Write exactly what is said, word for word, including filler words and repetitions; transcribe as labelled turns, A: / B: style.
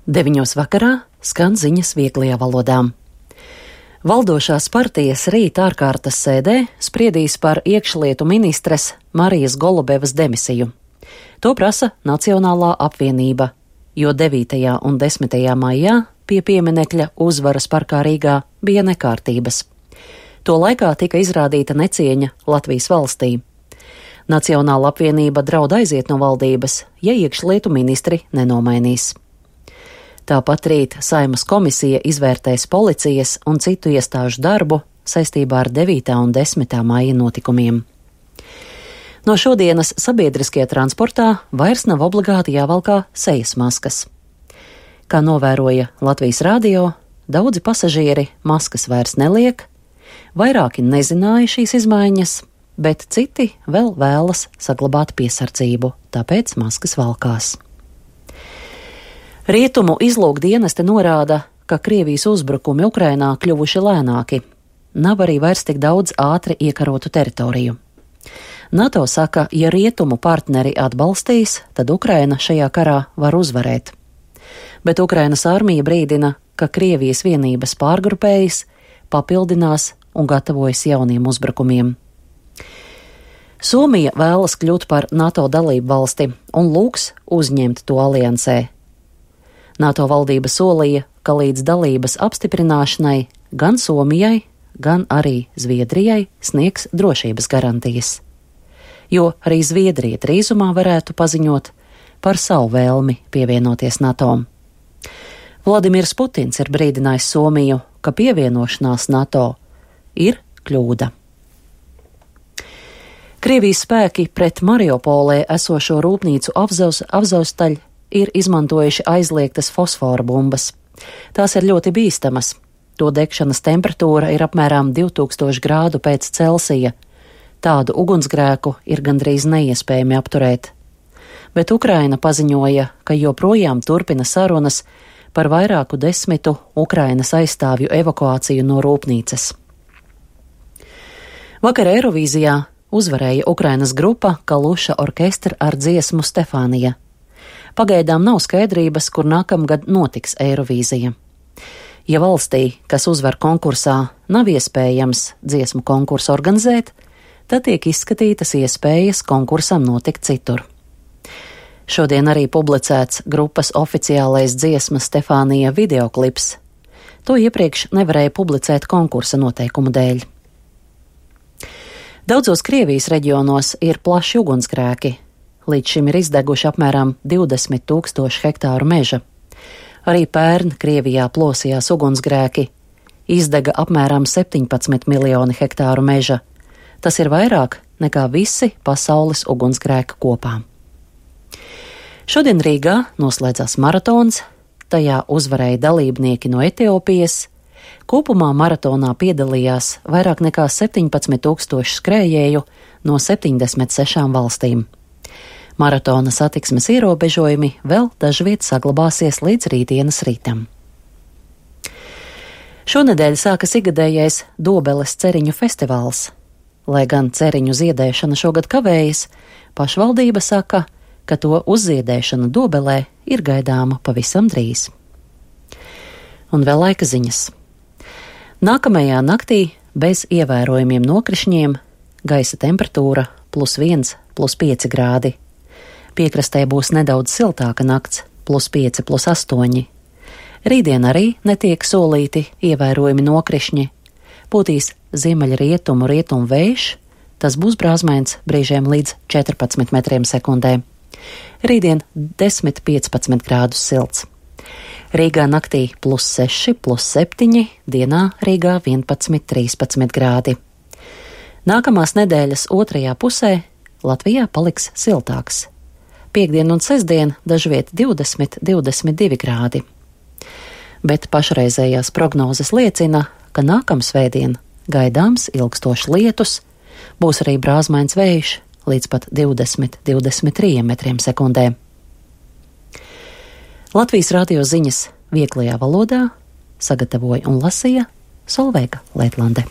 A: Deviņos vakarā skan ziņas vieglajā valodā. Valdošās partijas rīt ārkārtas sēdē spriedīs par iekšlietu ministres Marijas Golubevas demisiju. To prasa Nacionālā apvienība, jo devītajā un desmitajā maijā pie pieminekļa Uzvaras parkā Rīgā bija nekārtības. To laikā tika izrādīta necieņa Latvijas valstī. Nacionāla apvienība draud aiziet no valdības, ja iekšlietu ministri nenomainīs. Tāpat rīt Saeimas komisija izvērtēs policijas un citu iestāžu darbu saistībā ar devītā un desmitā maija notikumiem. No šodienas sabiedriskajā transportā vairs nav obligāti jāvalkā sejas maskas. Kā novēroja Latvijas radio, daudzi pasažieri maskas vairs neliek, vairāki nezināja šīs izmaiņas, bet citi vēl vēlas saglabāt piesardzību, tāpēc maskas valkās. Rietumu izlūkdienesti norāda, ka Krievijas uzbrukumi Ukrainā kļuvuši lēnāki. Nav arī vairs tik daudz ātri iekarotu teritoriju. NATO saka, ja rietumu partneri atbalstīs, tad Ukraina šajā karā var uzvarēt. Bet Ukrainas armija brīdina, ka Krievijas vienības pārgrupējas, papildinās un gatavojas jauniem uzbrukumiem. Somija vēlas kļūt par NATO dalību valsti un lūgs uzņemt to aliansē. NATO valdība solīja, ka līdz dalības apstiprināšanai gan Somijai, gan arī Zviedrijai sniegs drošības garantijas, jo arī Zviedrija drīzumā varētu paziņot par savu vēlmi pievienoties NATO. Vladimirs Putins ir brīdinājis Somiju, ka pievienošanās NATO ir kļūda. Krievijas spēki pret Mariupolē esošo rūpnīcu Avzovstaļ ir izmantojuši aizliegtas fosfora bumbas. Tās ir ļoti bīstamas. To degšanas temperatūra ir apmēram divi tūkstoši grādu pēc Celsija. Tādu ugunsgrēku ir gandrīz neiespējami apturēt. Bet Ukraina paziņoja, ka joprojām turpina sarunas par vairāku desmitu Ukrainas aizstāvju evakuāciju no rūpnīcas. Vakar Eirovīzijā uzvarēja Ukrainas grupa Kaluša orkestra ar dziesmu Stefānija. Pagaidām nav skaidrības, kur nākamgad notiks Eirovīzija. Ja valstī, kas uzvar konkursā, nav iespējams dziesmu konkursu organizēt, tad tiek izskatītas iespējas konkursam notikt citur. Šodien arī publicēts grupas oficiālais dziesmas Stefānija videoklips. To iepriekš nevarēja publicēt konkursa noteikumu dēļ. Daudzos Krievijas reģionos ir plaši ugunsgrēki. Līdz šim ir izdeguši apmēram divdesmit tūkstoši hektāru meža. Arī pērn Krievijā plosījās ugunsgrēki. Izdega apmēram septiņpadsmit miljoni hektāru meža. Tas ir vairāk nekā visi pasaules ugunsgrēki kopā. Šodien Rīgā noslēdzās maratons, tajā uzvarēja dalībnieki no Etiopijas. Kopumā maratonā piedalījās vairāk nekā septiņpadsmit tūkstoši skrējēju no septiņdesmit sešām valstīm. Maratona satiksmes ierobežojumi vēl dažviet saglabāsies līdz rītdienas rītam. Šonedēļ sākas ikgadējais Dobeles ceriņu festivāls. Lai gan ceriņu ziedēšana šogad kavējas, pašvaldība saka, ka to uzziedēšana Dobelē ir gaidāma pavisam drīz. Un vēl laika ziņas. Nākamajā naktī bez ievērojumiem nokrišņiem gaisa temperatūra plus viens, plus pieci grādi. Piekrastē būs nedaudz siltāka nakts, plus pieci, plus astoņi. Rītdien arī netiek solīti ievērojami nokrišņi. Pūtīs ziemeļrietumu rietumu vējš, tas būs brāzmains brīžiem līdz četrpadsmit metriem sekundē. Rītdien desmit līdz piecpadsmit grādus silts. Rīgā naktī plus seši, plus septiņi, dienā Rīgā vienpadsmit, trīspadsmit grādi. Nākamās nedēļas otrajā pusē Latvijā paliks siltāks. Piektdien un sestdien dažviet divdesmit, divdesmit divi grādi. Bet pašreizējās prognozes liecina, ka nākamsvētdien gaidāms ilgstošs lietus, būs arī brāzmains vējš līdz pat divdesmit, divdesmit trīs metriem sekundē. Latvijas radio ziņas vieglajā valodā sagatavoja un lasīja Solveiga Leitlande.